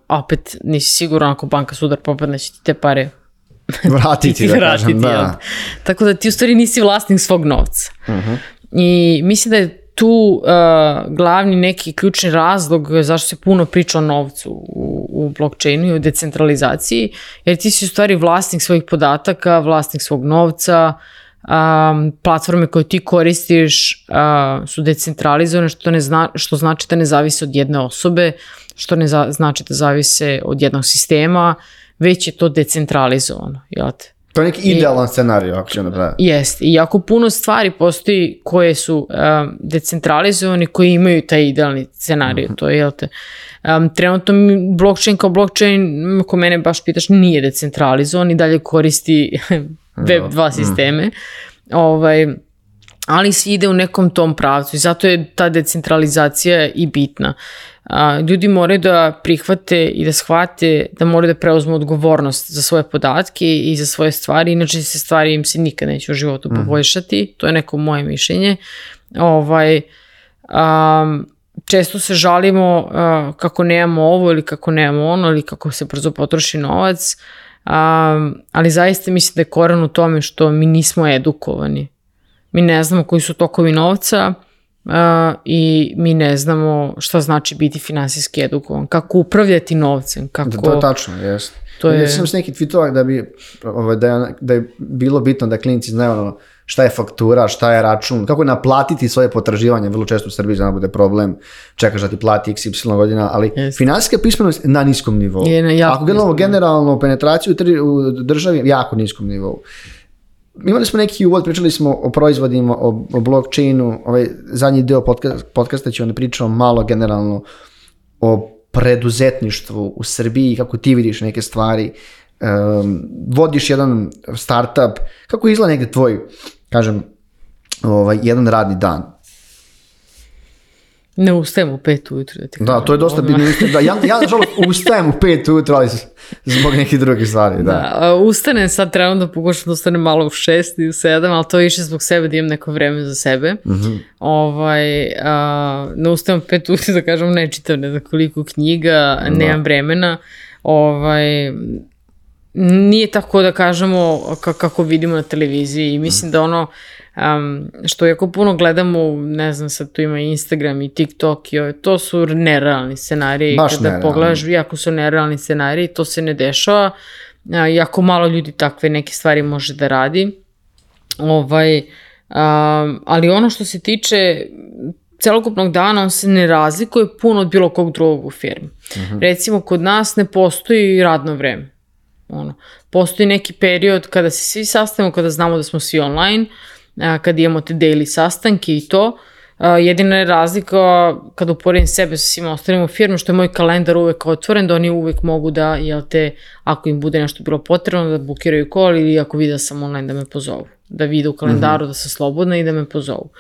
Opet nisi siguran ako banka sudar popadne će ti te pare vratiti, da kažem, da. Tako da ti u stvari nisi vlasnik svog novca. I mislim da je tu glavni neki ključni razlog zašto se puno priča o novcu u blockchainu i o decentralizaciji, jer ti si u stvari vlasnik svojih podataka, vlasnik svog novca, platforme koje ti koristiš su decentralizovane, što znači da ne zavise od jedne osobe, što ne znači da zavise od jednog sistema, već je to decentralizovano, jel te? To je neki idealan scenarij, ako ćemo da... Jeste, i jako puno stvari postoji koje su decentralizovani, koji imaju taj idealni scenarij, to je, jel te, trenutno blockchain kao blockchain, ako mene baš pitaš, nije decentralizovan i dalje koristi Web2 sisteme, ali se ide u nekom tom pravcu i zato je ta decentralizacija i bitna. Ljudi moraju da prihvate i da shvate da moraju da preuzmu odgovornost za svoje podatke i za svoje stvari, inače se stvari im se nikad neće u životu poboljšati, to je neko moje mišljenje. Često se žalimo kako nemamo ovo ili kako nemamo ono ili kako se brzo potroši novac, ali zaista mislim da je koren u tome što mi nismo edukovani. Mi ne znamo koji su tokovi novca i mi ne znamo šta znači biti finansijski edukovan, kako upravljati novcem. Kako... To je tačno, jeste. Ja sam s neki tweetovak da je bilo bitno da klinici znaju šta je faktura, šta je račun, kako je naplatiti svoje potraživanje, vrlo često u Srbiji zna bude problem, čekaš da ti plati XY godina, ali finansijska pismenost na niskom nivou. Ako gledamo generalno penetraciju u državi, jako niskom nivou. Imali smo neki uvod, pričali smo o proizvodima, o blockchainu, zadnji deo podcasta ću onda pričao malo generalno o preduzetništvu u Srbiji, kako ti vidiš neke stvari, vodiš jedan startup, kako izgleda negde tvoj, kažem, jedan radni dan? Ne ustajem u 5 ujutru. Da, to je dosta bitno. Ja nažalost ustajem u 5 ujutru, ali zbog nekih drugih stvari. Da, ustanem sad trenutno, pokušam da ustanem malo u 6 i u 7, ali to više zbog sebe da imam neko vreme za sebe. Ne ustajem u 5 ujutru, da kažem, ne čitam ne znam koliko knjiga, nemam vremena. Nije tako da kažemo kako vidimo na televiziji i mislim da ono što jako puno gledamo, ne znam, sad tu ima Instagram i TikTok i to su nerealni scenariji. Kada pogledaš, jako su nerealni scenariji, to se ne dešava, jako malo ljudi takve neke stvari može da radi. Ali ono što se tiče celokupnog dana, on se ne razlikuje puno od bilo kog drugog u firmi. Recimo, kod nas ne postoji radno vreme. Postoji neki period kada se svi sastavimo, kada znamo da smo svi online, kada imamo te daily sastanke i to. Jedina je razlika kada uporedim sebe sa svima ostalim u firmi, što je moj kalendar uvek otvoren, da oni uvek mogu da, ako im bude nešto bilo potrebno, da bukiraju call ili ako vide da sam online da me pozovu. Da vide u kalendaru da sam slobodna i da me pozovu.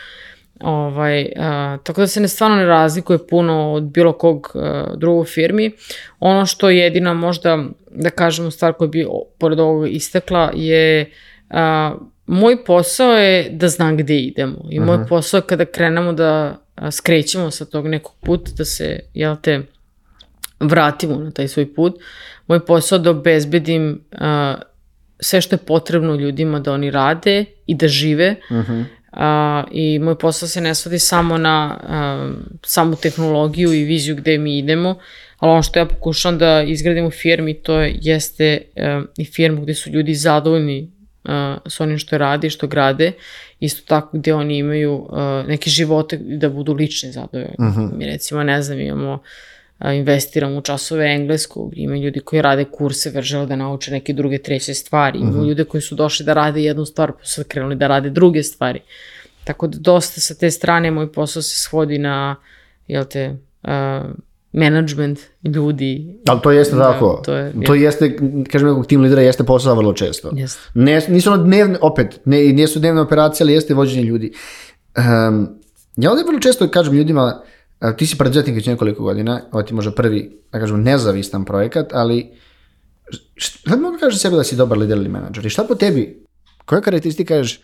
Tako da se stvarno ne razlikuje puno od bilo kog drugog firmi. Ono što je jedina možda, da kažemo, stvar koja bi pored ovoga istakla je moj posao je da znam gde idemo i moj posao je kada krenemo da skrećemo sa tog nekog puta, da se, vratimo na taj svoj put. Moj posao je da obezbedim sve što je potrebno ljudima da oni rade i da žive. I moj posao se ne svodi samo na samu tehnologiju i viziju gde mi idemo, ali ono što ja pokušam da izgradim u firmi, to jeste i firmu gde su ljudi zadovoljni s onim što radi, što grade, isto tako gde oni imaju neke živote da budu lični zadovoljni. Mi recimo, ne znam, investiramo u časove engleskog, ima ljudi koji rade kurse, žele da nauče neke druge, treće stvari, ima ljude koji su došli da rade jednu stvar, pa su krenuli da rade druge stvari. Tako da dosta sa te strane moj posao se svodi na, management ljudi. Ali to jeste tako. To jeste, kažem, nekog tim lidera jeste posao vrlo često. Nisu ono dnevne, opet, nisu dnevne operacije, ali jeste vođenje ljudi. Ja ovdje vrlo često kažem ljudima, ti si preduzetnik već nekoliko godina, ovo ti možda prvi, da kažem, nezavistan projekat, ali šta mogu kažeš sebi da si dobar lider ili menadžer? I šta po tebi? Koja karakteristika kažeš?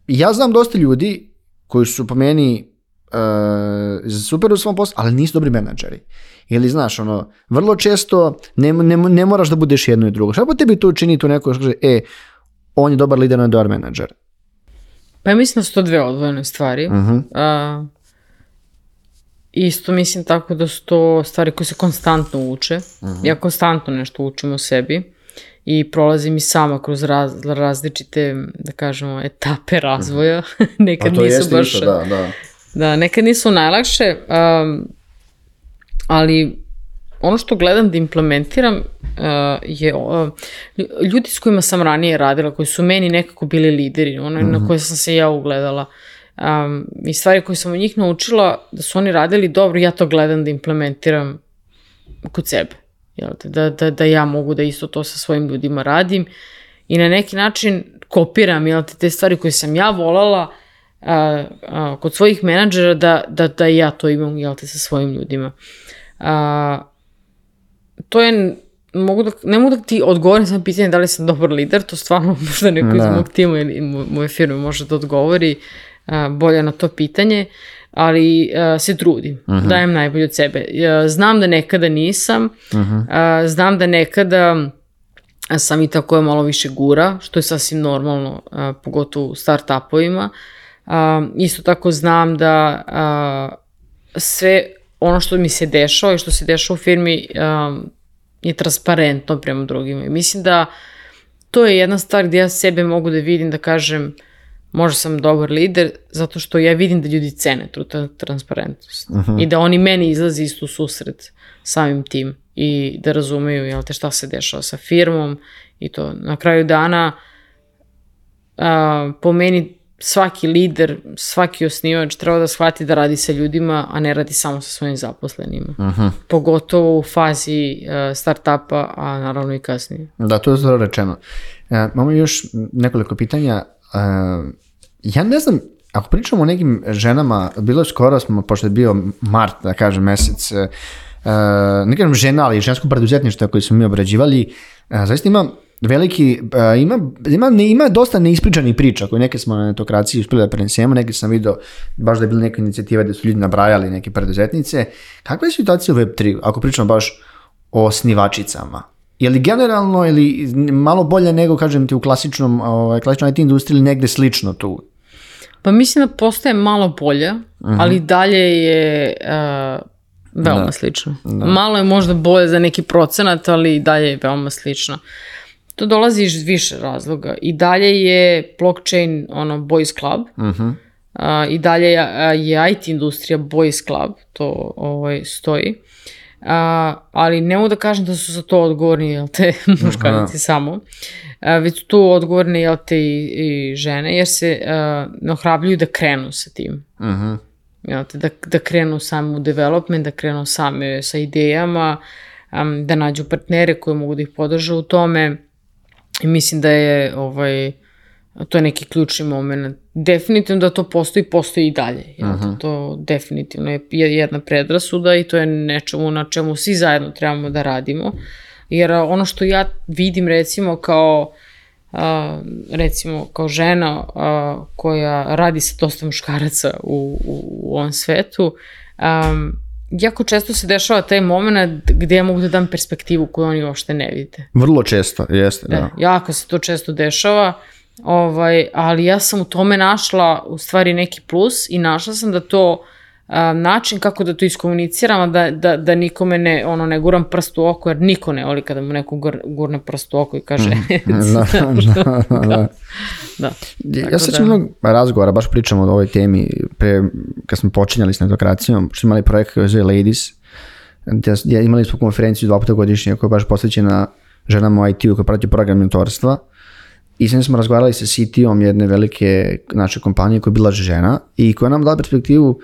Ja znam dosta ljudi koji su po meni super u svom poslu, ali nisu dobri menadžeri. Ili znaš, vrlo često ne moraš da budeš jedno i drugo. Šta po tebi to čini tu neko što kaže, on je dobar lider, on je dobar menadžer? Pa ja mislim da su to dve odvojene stvari. Isto mislim tako da su to stvari koje se konstantno uče. Ja konstantno nešto učim o sebi i prolazim i sama kroz različite, da kažemo, etape razvoja. Nekad nisu baš... Isto, da. Da, nekad nisu najlakše, ali ono što gledam da implementiram je ljudi s kojima sam ranije radila, koji su meni nekako bili lideri, na koje sam se ja ugledala. I stvari koje sam od njih naučila da su oni radili dobro, ja to gledam da implementiram kod sebe. Da ja mogu da isto to sa svojim ljudima radim i na neki način kopiram te stvari koje sam ja volala kod svojih menadžera da ja to imam sa svojim ljudima. To je, ne mogu da ti odgovorim samo pitanje da li sam dobar lider, to stvarno možda neko iz mog tima ili moje firme može da odgovori bolje na to pitanje, ali se trudim, dajem najbolje od sebe. Znam da nekada nisam, znam da nekada sam i tako malo više gura, što je sasvim normalno, pogotovo u start-upovima. Isto tako znam da sve ono što mi se dešava i što se dešava u firmi je transparentno prema drugima. I mislim da to je jedna stvar gdje ja sebe mogu da vidim, da kažem možda sam dobar lider, zato što ja vidim da ljudi cene tu transparentnost. I da oni meni izlazi isto u susret samim tim i da razumeju šta se dešava sa firmom i to. Na kraju dana po meni svaki lider, svaki osnivač treba da shvati da radi sa ljudima, a ne radi samo sa svojim zaposlenima. Pogotovo u fazi start-upa, a naravno i kasnije. Da, to je zelo rečeno. Imamo još nekoliko pitanja. Ja ne znam, ako pričamo o nekim ženama, bilo je skoro smo, pošto je bio mart, da kažem, mesec, ne kažem žena, ali žensko preduzetništvo koje smo mi obrađivali, zaista ima veliki, ima dosta neispričanih priča koje neke smo na netokraciji uspjeli da prenesemo, neke sam vidio baš da je bila neka inicijativa gdje su ljudi nabrajali neke preduzetnice. Kakva je situacija u Web3, ako pričamo baš o osnivačicama? Je li generalno ili malo bolje nego, kažem ti, u klasičnoj IT industriji ili negde slično tu? Pa mislim da postaje malo bolje, ali dalje je veoma slično. Malo je možda bolje za neki procenat, ali dalje je veoma slično. To dolazi iz više razloga. I dalje je blockchain boys club. I dalje je IT industrija boys club. To stoji. Ali ne mogu da kažem da su za to odgovorni muškarci samo. Već su tu odgovorni i žene, jer se ohrabljuju da krenu sa tim. Da krenu sami u development, da krenu sami sa idejama, da nađu partnere koji mogu da ih podržu u tome. I mislim da je to je neki ključni moment. Definitivno da to postoji i dalje. To definitivno je jedna predrasuda i to je nečemu na čemu svi zajedno trebamo da radimo. Jer ono što ja vidim recimo kao žena koja radi sa dosta muškaraca u ovom svetu, jako često se dešava taj moment gdje ja mogu da dam perspektivu koju oni uopšte ne vide. Vrlo često, jeste. Da. Jako se to često dešava, ali ja sam u tome našla u stvari neki plus i našla sam da to način kako da to iskomuniciram, da nikome ne guram prst u oko, jer niko ne voli kada mu neko gurne prst u oko i kaže da. Ja sećam mnogo razgovora, baš pričamo o ovoj temi kad smo počinjali s netokracijom, što imali projekt koji zove Ladies, imali smo konferenciju 2 puta godišnje koja je baš posvećena ženama u IT-u koja prati program mentorstva. I sad smo razgovarali sa CT-om jedne velike naše kompanije koja je bila žena i koja nam dala perspektivu.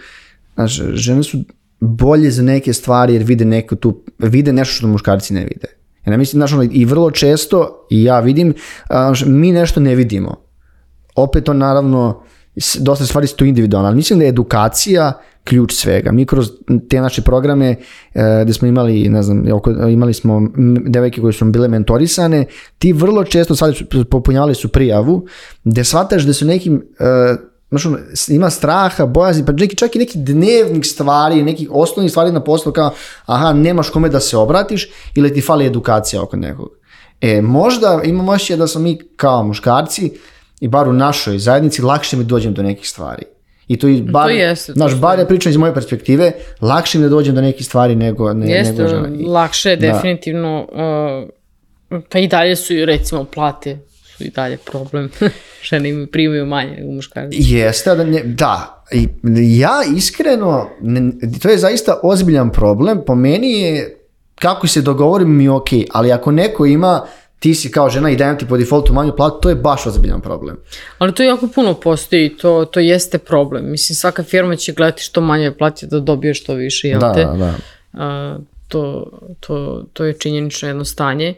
Žene su bolje za neke stvari jer vide nešto što muškarci ne vide. Ja mislim, i vrlo često, i ja vidim, mi nešto ne vidimo. Opet to naravno, dosta stvari su tu individualne, ali mislim da je edukacija ključ svega. Mi kroz te naše programe gdje smo imali, imali smo devojke koje su bile mentorisane, ti vrlo često popunjavali su prijavu, gdje shvataš da su nekim ima straha, bojazni, pa čak i neki dnevnik stvari, nekih osnovnih stvari na poslu kao nemaš kome da se obratiš ili ti fali edukacija oko nekog. Možda imam osjećaj da smo mi kao muškarci i bar u našoj zajednici lakše mi dođem do nekih stvari. I to bar ja pričam iz moje perspektive, lakše mi da dođem do nekih stvari nego žena. Lakše je definitivno, pa i dalje su recimo plate su i dalje problem. Žene primaju manje nego muškarci. Jeste, da. Ja iskreno, to je zaista ozbiljan problem. Po meni je, kako se dogovorim mi je ok, ali ako neko ima, ti si kao žena i dajem ti po defaultu manju platu, to je baš ozbiljan problem. Ali to jako puno postoji, to jeste problem. Mislim, svaka firma će gledati što manje plati da dobije što više, jel te? Da. To je činjenično jedno stanje.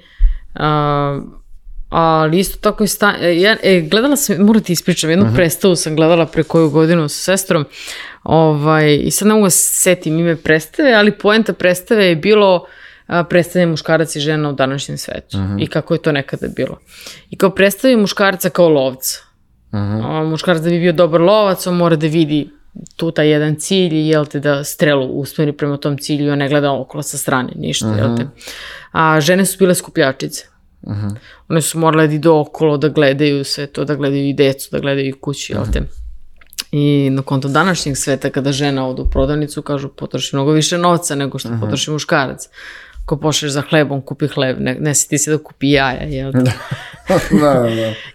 Ali isto tako je gledala sam, moram ti ispričam, jednu predstavu sam gledala pre koju godinu sa sestrom, i sad ne mogu da se setim ime predstave, ali poenta predstave je bilo predstavljanje muškaraca i žena u današnjem svetu i kako je to nekada bilo. I kao predstavljanje muškarca kao lovca. Muškarac da bi bio dobar lovac, on mora da vidi tu taj jedan cilj i jel te da strelu usmeri prema tom cilju, on ne gleda okolo sa strane, ništa, jel te. A žene su bile skupljačice. One su morale da idu okolo, da gledaju sve to, da gledaju i decu, da gledaju i kući, jel te. I na konto današnjeg sveta, kada žena ode u prodavnicu, kažu potroši mnogo više novca nego što potroši muškarac. Ko pošleš za hlebom, kupi hleb, ne seti se da kupi jaja, jel te? Da.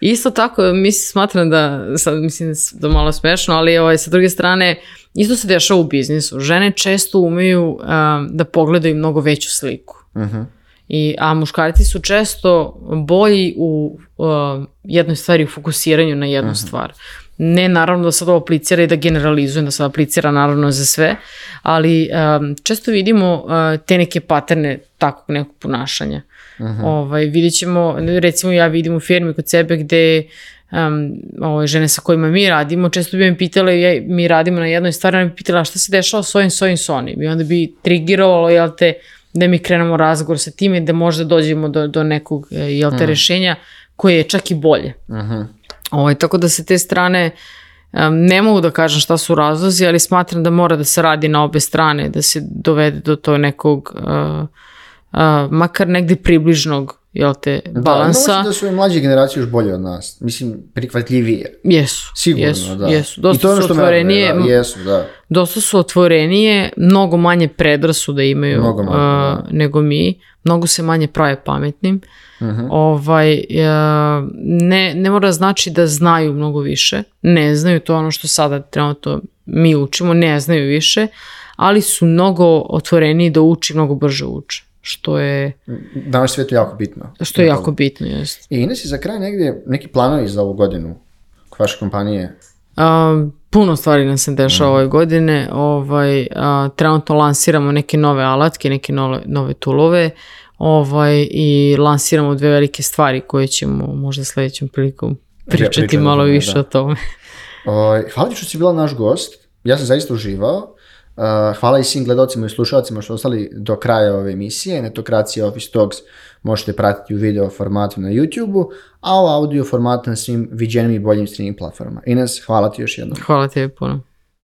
Isto tako, smatram da, sad mislim da malo smešno, ali sa druge strane, isto se dešava u biznisu. Žene često umeju da pogledaju mnogo veću sliku. A muškarci su često bolji u jednoj stvari, u fokusiranju na jednu stvar. Ne naravno da sad ovo aplicira i da generalizujem, da sad aplicira naravno za sve, ali često vidimo te neke paterne takvog nekog ponašanja. Vidjet ćemo, recimo ja vidim u firmi kod sebe gde žene sa kojima mi radimo, često bi me pitale, mi radimo na jednoj stvari, ona bi pitala šta se dešava s ovim, i onda bi trigirovalo, jel te, da mi krenemo razgovor sa time, da možda dođemo do nekog, jel te, rešenja koje je čak i bolje. Tako da se te strane, ne mogu da kažem šta su razlozi, ali smatram da mora da se radi na obe strane, da se dovede do to nekog, makar negde približnog, jel te, balansa. Da su i mlađe generacije još bolje od nas. Mislim, prihvatljivije. Jesu. Sigurno, da. Jesu. Dosta su otvorenije. Jesu, da. Dosta su otvorenije, mnogo manje predrasuda imaju nego mi. Mnogo se manje prave pametnim. Ne mora znači da znaju mnogo više. Ne znaju, to ono što sada trenutno mi učimo, ne znaju više, ali su mnogo otvoreniji da uči, mnogo brže uče. Što je... Danas svijetu jako bitno. Što je jako bitno, jest. I Ines, za kraj negdje neki planovi za ovu godinu kod vaše kompanije? Puno stvari nam se dešava ove godine. Trenutno lansiramo neke nove alatke, neke nove toolove i lansiramo 2 velike stvari koje ćemo možda sljedećem prilikom pričati malo više o tome. Hvala ti što si bila naš gost. Ja sam zaista uživao. Hvala i svim gledalcima i slušalcima što ostali do kraja ove emisije. Netokracija Office Talks možete pratiti u video formatu na YouTube-u, a u audio formatu na svim viđenim i boljim streaming platformama. Ines, hvala ti još jednom. Hvala tebi puno.